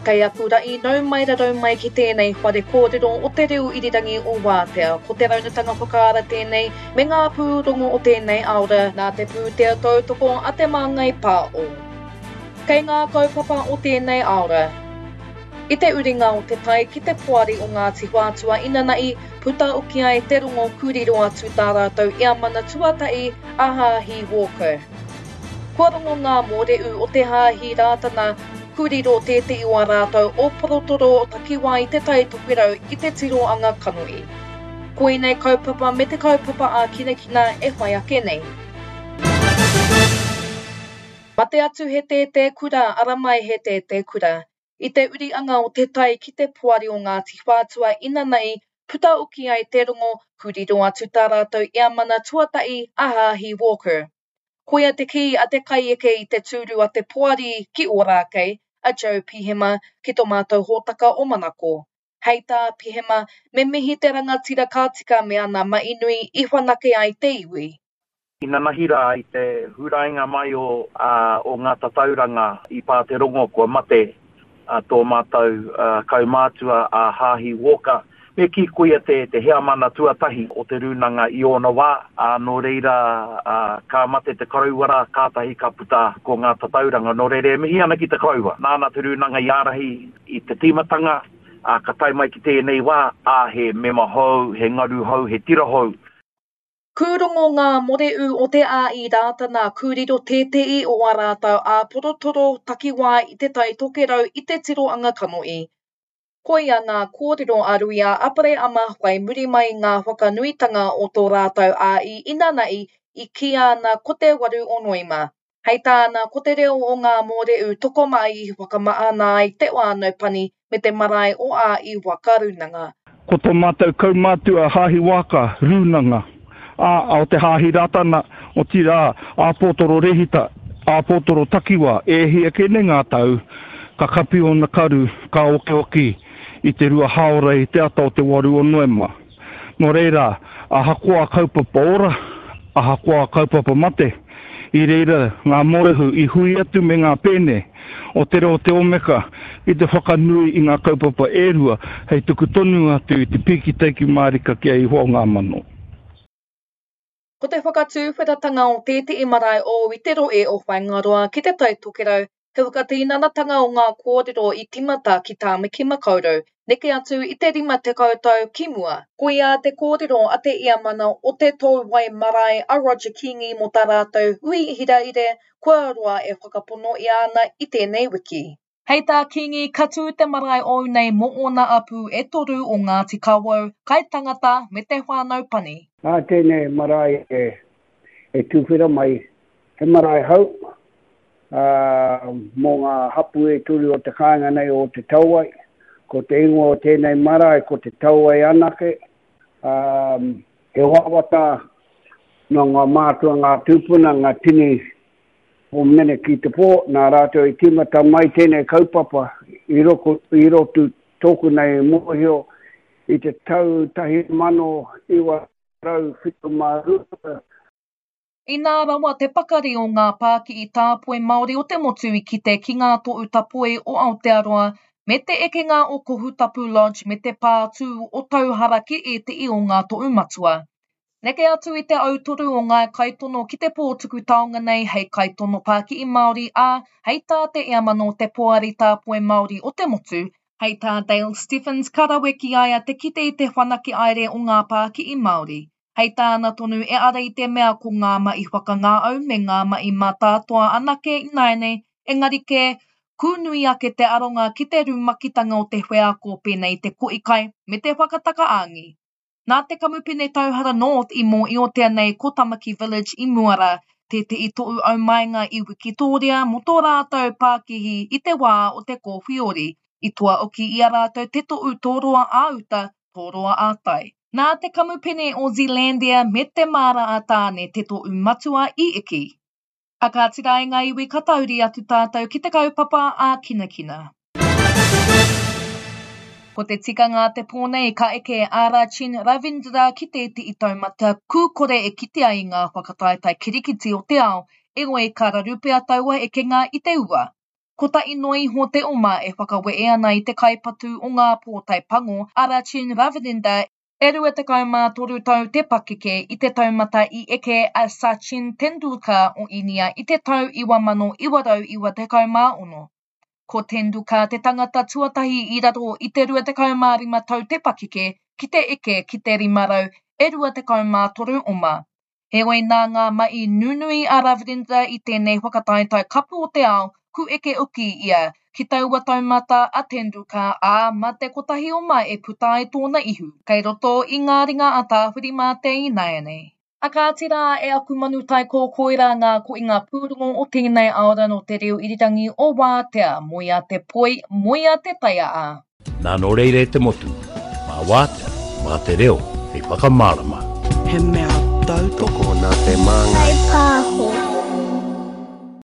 Kei aku ra'i nau mai rarau mai ki tēnei whare kōrero o te reo irirangi o Wātea. Ko te raunatanga whakaara tēnei me ngā pūrongo o tēnei aora nā te pūtea tautoko a Te Māngai Pāo. Kei ngā kaupapa o tēnei aora. I te uringa o te tai ki te poari o Ngāti Whātua inanahi, puta oki ai te rongo kūriro atu tā rātou eamana tuatahi a Hāhi Walker. Kua rongo ngā mōrehu o te Hāhi Rātana kūriro tētehi o ā rātou ōporotoro takiwā i Te Tai Tokerau i te tiroanga kanohi. Koinei kaupapa me te kaupapa ākinakina e whai ake nei. Mate atu he tētē kura, ara mai he tētē kura. I te uri anga o te tai ki te poari o Ngāti Whātua inanahi, puta oki ai te rongo, kūriro atu tā rātou eamana tuatahi a Hāhi Walker. Koia te kī a te kaieke i te tūru a te poari ki Ōrākei, a Joe Pihema, ki tō mātou hōtaka o Manako. Hei tā Pihema, me mihi te rangatira ka tika me ana mahi nui i whanake ai te iwi. Inanahi rā i te hurainga mai o o ngā tatauranga i pā te rongo kua mate tō mātou kaumātua a Hāhi Walker. Me kī koia te te heamana tuatahi o te rūnanga i ōna wā, ā, nō reira ka mate te koroua rā, kātahi ka puta ko ngā tatauranga. Nō reira e mihi ana ki te koroua, nāna te rūnanga i ārahi i te tīmatanga, ā, ka tae mai ki tēnei wā, ā, he mema hou, he ngaru hou, he tira hou. Kūrongo ngā moreu o te āi Rātana kūriro tētehi o ā rātou āporotoro takiwā i Te Tai Tokerau i te tiroanga kanohi. Koia ngā kōrero a Ruia Apereama whai muri mai i ngā whakanuitanga o tō rātou āi inanahi i kīia ana ko te waru o Noema. Hei tāna, ko te reo o ngā mōrehu tokomaha i whakamahana ai te whānau pani me te marae o Āi Waka Rūnanga. Ko tō mātou kaumātua Hāhi Waka Rūnanga, ā, o te Hāhi Rātana, otirā, Āpōtoro Rehita, Āpōtoro Takiwā, e hia kē nei ngā tau, ka kapi ōna karu, ka okioki i te rua hāora i te ata o te waru o Noema. Nō reira, ahakoa kaupapa ora, ahakoa kaupapa mate, i reira ngā mōrehu i hui atu me ngā pēne o Te Reo o Te Omeka ki te whakanui i ngā kaupapa e rua hei tuku tonu atu i te pīki taiki mārika ki a Ihoa o ngā mano. Ko te whakatuwheratanga o tētehi marae ou i te rohe o Whaingaroa ki Te Tai Tokerau he whakatinanatanga o ngā kōrero i tīmata ki Tāmaki Makaurau, neke atu i te 50 tau ki mua. Koia te kōrero a te Iamana o Te Touwai Marae a Roger Kingi mō tā rātou hui hiraire kua roa e whakapono ia ana i tēnei wiki. Hei tā Kingi, ka tū te marae ou nei mō ōna apū e toru o Ngāti Kawau, Kaitangata me te whānau pani. Nā tēnei marae e tuwhera mai, he marae hou, ā, mō ngā hapū e toru o te kāinga nei o Te Tauai. Ko te ingoa o tēnei marae ko Te Tauai anake, ā, he wawata nō ngā mātua, ngā tūpuna, ngā tini o Mene ki te pō, nā rātou i tīmata mai tēnei kaupapa i roko, i roto tōku nei mōhio i te tau 1972. Inā rawa te pakari o ngā pākihi tāpoi Māori o te motu i kite ki ngā tohu tapoe o Aotearoa me te ekenga o Kohutapu Lodge me te pā tū o Tauhara ki ētehi o ngā tohu matua. Neke atu i te autoru o ngā kaitono ki te pō tuku taonga nei hei kaitono pākihi Māori ā, hei tā te Eamana o te Poari Tāpoi Māori o te Motu, Hei tā Dale Stephens ka rawe ki a ia te kite i te whanake aere o ngā pākihi Māori. Hei tāna tonu e ara i te mea ko ngā mahi whakangāau me ngā mahi mātātoa anake ināianei, engari kē, kūnui ake te aronga ki te rumakitanga o te wheako pēnei i te kohi kai me te whakataka āngi. Nā te kamupene Tauhara North i mōiotea nei ko Tamaki Village i mua rā, tētehi tohu aumainga i Wikitōria mō tō rātou pākihi i te wā o te kōwhiori, i toa oki i a rātou te tohu tōroa ā-uta, tōroa ā-tai. Nā te kamupene o Zealandia me Te Māra a Tāne te tohu matua i eke. A kāti rā e ngā iwi ka tauri atu tātou ki te kaupapa ākinakina. Ko te tikanga a te pō nei ka eke a Rachin Ravindra ki tētehi taumata kūkore e kitea i ngā whakataetae kirikiti o te ao, engoi ka raru pea taua ekenga i te ua. Kotahi noa iho te oma e whakawehe ana i te kaipatu o ngā pōtae pango, a Rachin Ravindra, e 23 tau te pakeke, i te taumata i eke a Sachin Tendulkar o Īnia i te tau 1996. Ko Tendulkar te tangata tuatahi i raro i te 25 tau te pakeke ki te eke ki te 523 oma. Heoi nā ngā mahi nunui a Ravindra i tēnei whakataetae kapu o te ao, ku eke uki ia ki taua taumata a Tendulkar, ā, mā te kotahi oma e puta ai tōna ihu, kei roto i ngā ringa a Tāwhirimātea ināianei. A kāti rā e aku manu taiko koirā ngā koinga pūrongo o tēnei aora nō te reo irirangi o Wātea, moea te poi, moea te taia a. Nā nō reira e te motu, mā Wātea, mā te reo hei whakamārama. He mea tautoko. Tokona te māngai.